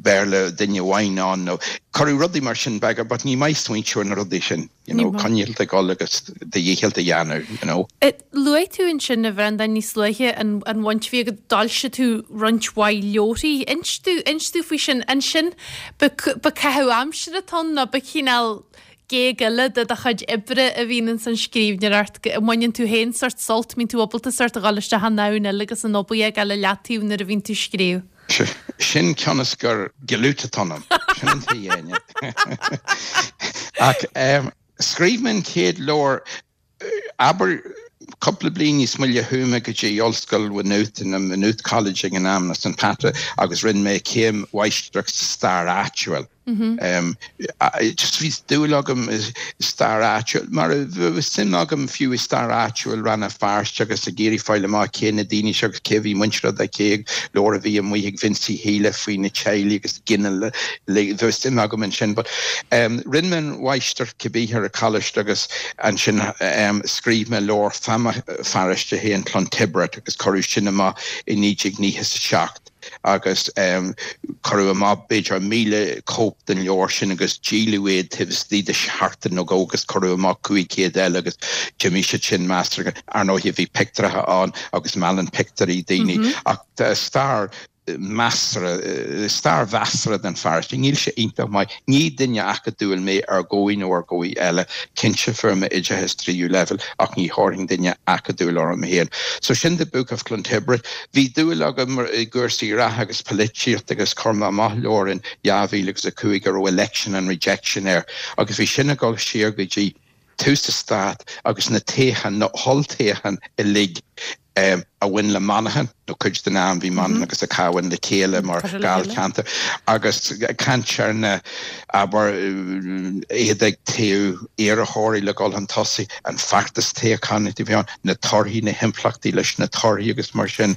Béarla duine amháin ann nó cuireadh rudaí mar sin beaga but ní maith smaointiú ar na rudaí sin, you know, coinneáil ag dul agus do dhícheall a dhéanamh, you know. Luaigh tú ansin, a Bhreandáin, níos luaithe an an bhaint a bhí agat, d'fhoilsigh tú roinnt mhaith leabharthaí. Inis domh, inis domh faoi sin. Ansin, ba ba caitheamh aimsire atá ann nó ba chineál géag eile de do chuid oibre a bhíonn ins an scríbhneoireacht, go mbaineann tú féin sórt sult, mbíonn tú ábalta sórt a dhul isteach i ndomhan eile agus an obair a fhágáil i leataobh nuair a bhíonn tú ag scríobh. Sin cionn is gur giliút atá ionam. Sin an tuige. Ach scríobh mé an chéad leabhar, abair, cúpla bliain níos moille chuaigh mé go dtí Ollscoil Maynooth, nó Maynooth College ag an am, nó St Pat, agus rinne mé céim mháistreachta sa stair áitiúil. Just bhí dúil agam i stair áitiúil, mar bhí suim agam fiú i stair áitiúil Rann na Feirste agus ag iarraidh fáil amach cé na daoine seo agus cé a bhí muinteartha do cé, leabhar a bhí amuigh ag Vincie Healy faoi na teaghlaigh agus ginealaigh, bhí suim agam ansin. But rinne mé an mháistreacht cibé ar an choláiste agus ansin scríobh mé leabhar fá mo pharóiste féin, Clontibret, agus cuireadh sin amach i 1997. Agus cuireadh amach b'fhéidir 1,000 cóip den leabhar sin agus díoladh iad taobh istigh de sheachtain nó dhó agus cuireadh amach 500 eile agus d'imigh siad sin measartha. Ar ndóigh bhí pictiúracha ann agus meallann pictiúirí daoine ach stair measartha, stair mheasartha den pharóiste. Níl sé iontach maith. Ní duine acadúil mé ar dhóigh nó ar dhóigh eile. Cinnte fuair mé oideachas tríú leibhéal ach ní thabharfainn duine acadúil orm féin. So sin The Book of Clontibret. Bhí dúil agam i gcúrsaí reatha agus polaitíocht agus chuir mé amach leabhar in 2005 a raibh Election and Rejection air agus bhí sin ag dul siar go dtí tús an stáit agus na toghcháin, na holltoghcháin uilig a bhain le Monaghan, nó cuid den am bhí Monaghan agus an Cabhán le chéile mar Dháilcheantar, agus caint ar na, abair, iad ag toghadh iarrthóirí le dhul chun tosaigh, an feachtas toghcháin a bhí ann, na torthaí, na himpleachtaí leis na torthaí agus mar sin,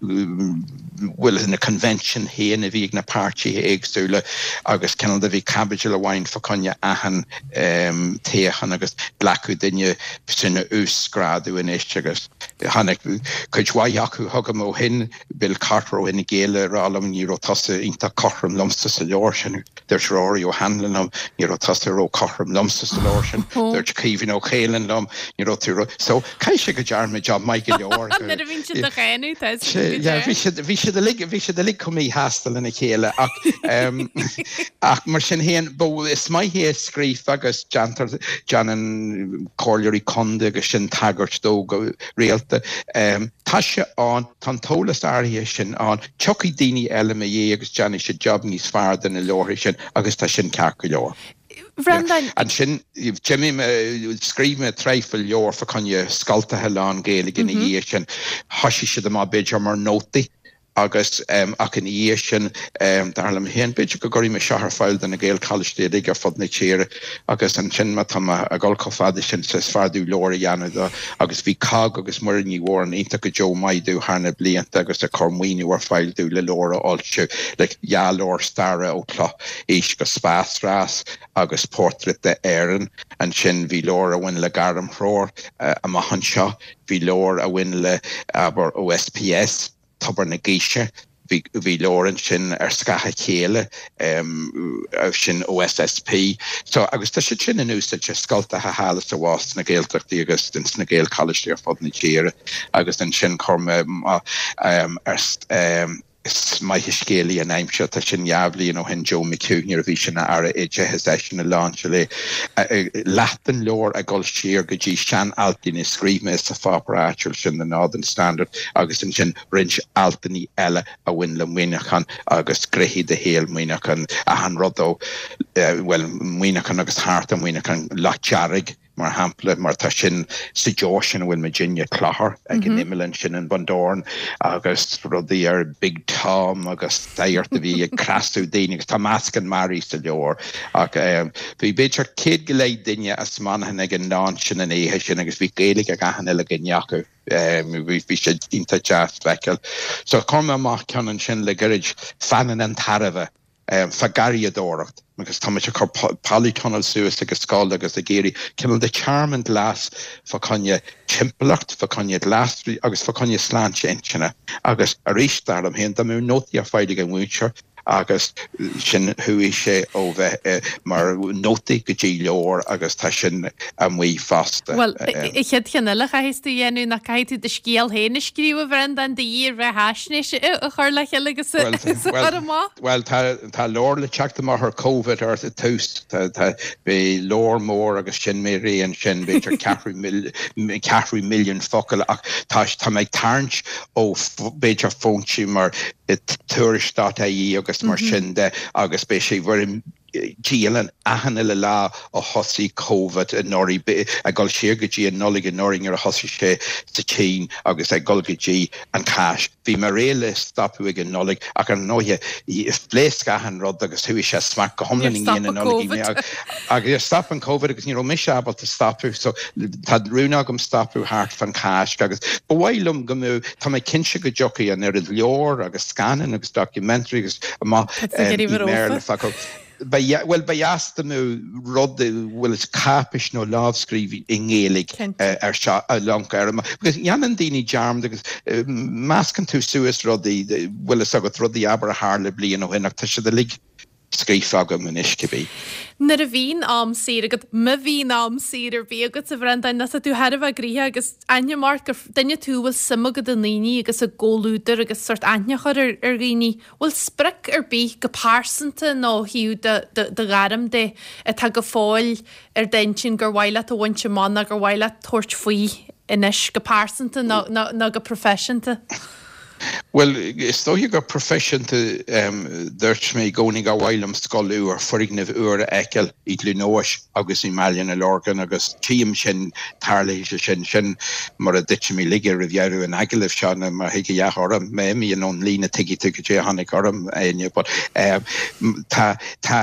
bhuel, na convention féin a bhí ag na páirtithe éagsúla agus cineál de bhí caibidil amháin fá choinne achan toghchán agus glacadh duine sin a uasghrádú anois agus tháinig cuid mhaith acu chugam ó shin, Bill Carter ó Fhine Gael ag rá liom ní raibh tusa iontach cothrom liomsa sa leabhar sin. Dúirt Rory O'Hanlon liom ní raibh tusa ró-chothrom liomsa sa leabhar sin. Dúirt Caoimhín Ó Caoláin liom ní raibh tú ró. So caithfidh sé go ndearna mé job maith go leor. Nuair a bhíonn siad á cháineadh tá a fhios agat go Yeah, bhí siad bhí siad uilig bhí siad uilig chomh míshásta lena chéile ach ach mar sin féin ba is maith é scríofa agus déantar déanann comhairleoirí contae agus sin tagairt dó go rialta. Tá sé ann, tá an t-eolas áirithe sin ann, tiocfaidh daoine eile i mo dhiaidh agus déanfaidh siad job níos fearr de na leabhartha sin agus tá sin ceart go leor. Bhreandáin. Ansin, d'imigh mé, scríobh mé traidhfil leabhar fá choinne scoltacha lán-Ghaeilge ina dhiaidh sin. Thoisigh siad amach b'fhéidir mar nótaí agus ach ina dhiaidh sin, dar liom féin, b'fhéidir go gcuirfidh mé seo ar fáil do na Gaelcholáistí uilig ar fud na tíre agus ansin má tá mé ag dul chomh fada sin is fearr domh leabhar a dhéanamh de agus bhí COGG agus Muireann Ní Mhóráin iontach go deo maith domh thar na blianta agus ag cur maoiniú ar fáil domh le leabhar a fhoilsiú, like dhá leabhar staire ó Cloch-Aois go Spásrás agus Portrait d'Éirinn. Ansin bhí leabhar a bhain le gairmthreoir amach anseo, bhí leabhar a bhain le, abair, OSPS, Tobar na Gaoise, bhí bhí leabhar ansin ar Scáth a Chéile, sin OSSP. So, agus tá siad sin in úsáid i scoltacha thall is abhus sna Gaeltachtaí agus ins na Gaelcholáistí ar fud na tíre agus ansin chuir mé ar Is maith an scéal í an aimsir, tá sin dhá bhliain ó shin, Joe McHugh, nuair a bhí sé ina Aire Oideachais, eisean a láinseáil é. Leath den leabhar ag dul siar go dtí sean-altanna a scríobh mé sa pháipéar áitiúil sin, The Northern Standard, agus ansin roinnt altanna eile a bhain le Muineachán agus gnéithe de shaol Mhuineacháin, achan rud ó, bhuel, Muineachán agus thart ar Mhuineachán, Loch Dearg, mar shampla, mar tá sin sa deoise sin a bhfuil muidinne, Clochar, ag an imeall ansin in Bundoran, agus rudaí ar Big Tom agus sagart a bhí ag cneasú daoine agus tá meascán mearaí sa leabhar. Ach bhí b'fhéidir 100 go leith duine as Manchain ag an launch sin an oíche sin agus bhí Gaeilge ag achan uile dhuine acu. Bhí sé iontach deas feiceáil. So chuir mé amach ceann ansin le gairid, Fanann an tairbhe. fá garraíodóireacht agus tá muid ag cur polytunnel suas ag an scoil agus ag iarraidh cineál de tearmann glas fá choinne timpeallacht, fá choinne glasraí agus fá choinne sláinte intinne. Agus arís, dar liom féin, dá mbeadh nótaí ar fáil ag an mhúinteoir agus sin chuaigh sé ó bheith mar nótaí go dtí leabhar agus tá sin amuigh fosta. Bhuel, an chéad cheann eile a chaithfeas tú a dhéanamh ná caithfidh tú do scéal féin a scríobh, a Bhreandáin, do dhírbheathaisnéis a chur le chéile agus a chur amach. Bhuel, tá tá leabhar le teacht amach ar Covid ar tús. Tá tá beidh leabhar mór agus sin mé réidh ansin, b'fhéidir ceathrú ceathrú milliún focal ach tá tá mé ag tarraingt ó b'fhéidir foinsí mar tuairisc.ie agus mar sin de agus beidh sé i bhfoirm dialann achan uile lá ó thosaigh Covid anuraidh, ag dul siar go dtí an Nollaig anuraidh nuair a thosaigh sé sa tSín agus ag dul go dtí an Cháisc. Bhí mé réidh le stopadh ag an Nollaig ach ar ndóighe phléasc achan rud agus chuaigh sé smacht go hiomlán i ndiaidh na Nollag agus stop an Covid agus ní raibh mise ábalta stopadh so tá rún agam stopadh thart fán Cháisc agus ba mhaith liom go mbeadh, tá mé cinnte go dtiocfaidh an oiread leabhar agus scannán agus documentary agus amach i mBéarla fá. Ba bhuel, ba dheas dá mbeadh rud, bhfuil fhios, cáipéis nó lámhscríbhinn i nGaeilge ar seo a loncadh ar an Because dhéanann daoine dearmad agus meascann tú suas rudaí, bhfuil fhios agat, rudaí abair a tharla bliain ó shin ach tá siad uilig scríofa agam anois cibé. Nuair a bhíonn am saor agat, má bhíonn am saor ar bith agat, a Bhreandáin, nó tá tú thar a bheith gnoitheach agus aithním ort gur duine tú a bhfuil suim agat i ndaoine agus i gcomhluadar agus sórt aithne a chur ar ar dhaoine. Bhfuil sprioc ar bith go pearsanta nó ó thaobh do do ghairm de atá go fóill ar d'intinn gur mhaith leat a bhaint amach nó gur mhaith leat tabhairt faoi anois go pearsanta nó nó go proifisiúnta? Bhuel, is dóiche go proifisiúnta, dúirt mé i gcónaí gur mhaith liom scoil úr, foirgneamh úr a fheiceáil i gCluain Eois agus i mBaile na Lorgan agus tchím sin, tarlóidh sé sin, sin mura dtitfidh mé laige roimh dheireadh an agallaimh seo nó má thig a dhath orm, má imím ón líne tuigfidh tú cad é a tháinig orm, Áine, but tá, tá,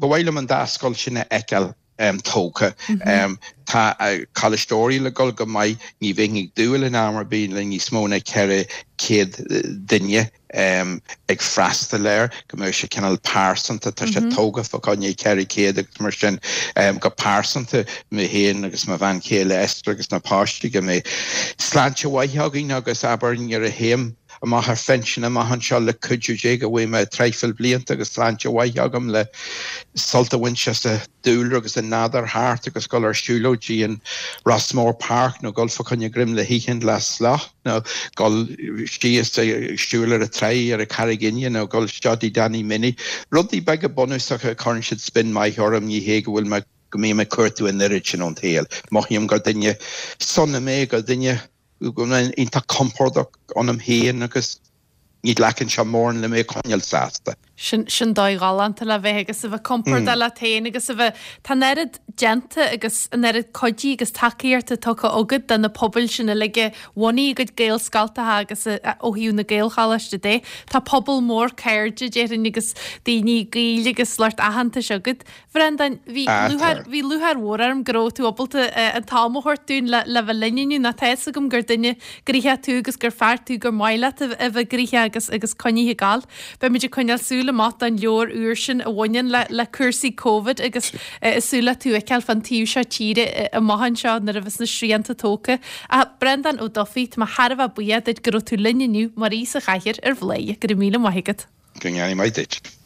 ba mhaith liom an dá scoil sin a fheiceáil. tógtha. Tá Coláiste Oiriall ag dul go maith, ní bheinn ag dúil in am ar bith le níos mó ná 400 duine ag freastal air, go mbeadh sé cineál pearsanta, tá sé tógtha fá choinne 400 agus mar sin go pearsanta, mé féin agus mo bhean chéile Esther agus na páistí, go mbeidh sláinte mhaith againn agus abair nuair a théim amach ar phinsean amach anseo le cuidiú Dé go bhfaighidh mé traidhfil blianta agus sláinte mhaith agam le sult a bhaint as an dúlra agus an nádúr thart agus dul ar siúlóid dtí an Rossmore Park nó dul fá choinne greim le hithe le slat nó dul síos ag siúl ar an tráigh ar an Charraig Fhinne nó dul isteach dtí Danny Minnie. Rudaí beaga bunúsacha a chuireann siad spin maith orm, ní hé go bhfuil mé go mbím ag cuartú an oiread sin ón tsaol. Mothaím gur duine sona mé, gur duine go bhfuil mé iontach compordach ionam féin agus ní ghlacann sé mórán le mé a choinneáil sásta. Sin, sin dóigh ghalánta le bheith agus a bheith compordach leat féin agus a bheith, tá an oiread déanta agus an oiread cuidí agus tacaíochta tugtha agat do na pobail sin uilig a bhunaigh a gcuid Gaelscoltacha agus a, ó thaobh na Gaelcholáiste de. Tá pobal mór cairde, déarfainn, agus daoine gaoil agus lucht aitheantais agat. Bhreandáin, bhí lúcháir, bhí lúcháir mhór orm go raibh tú ábalta an t-am a thabhairt dúinn le le bheith linn inniu nó tá fhios agam gur duine gnoitheach tú agus gur fear tú gur maith leat a bheith gnoitheach agus agus coinnithe ag gabháil. Beimid ag coinneáil súil amach don leabhar úr sin a bhaineann le le cúrsaí Covid agus ag súil le tú a fheiceáil fán taobh seo tíre amach anseo nuair a bheas na srianta tógtha. A Breandán Ó Dufaigh, tá mé thar a bheith buíoch duit go raibh tú linn inniu mar aoi sa chathaoir ar Bhladhaire. Go raibh míle maith agat. Go ndéanaí maith duit.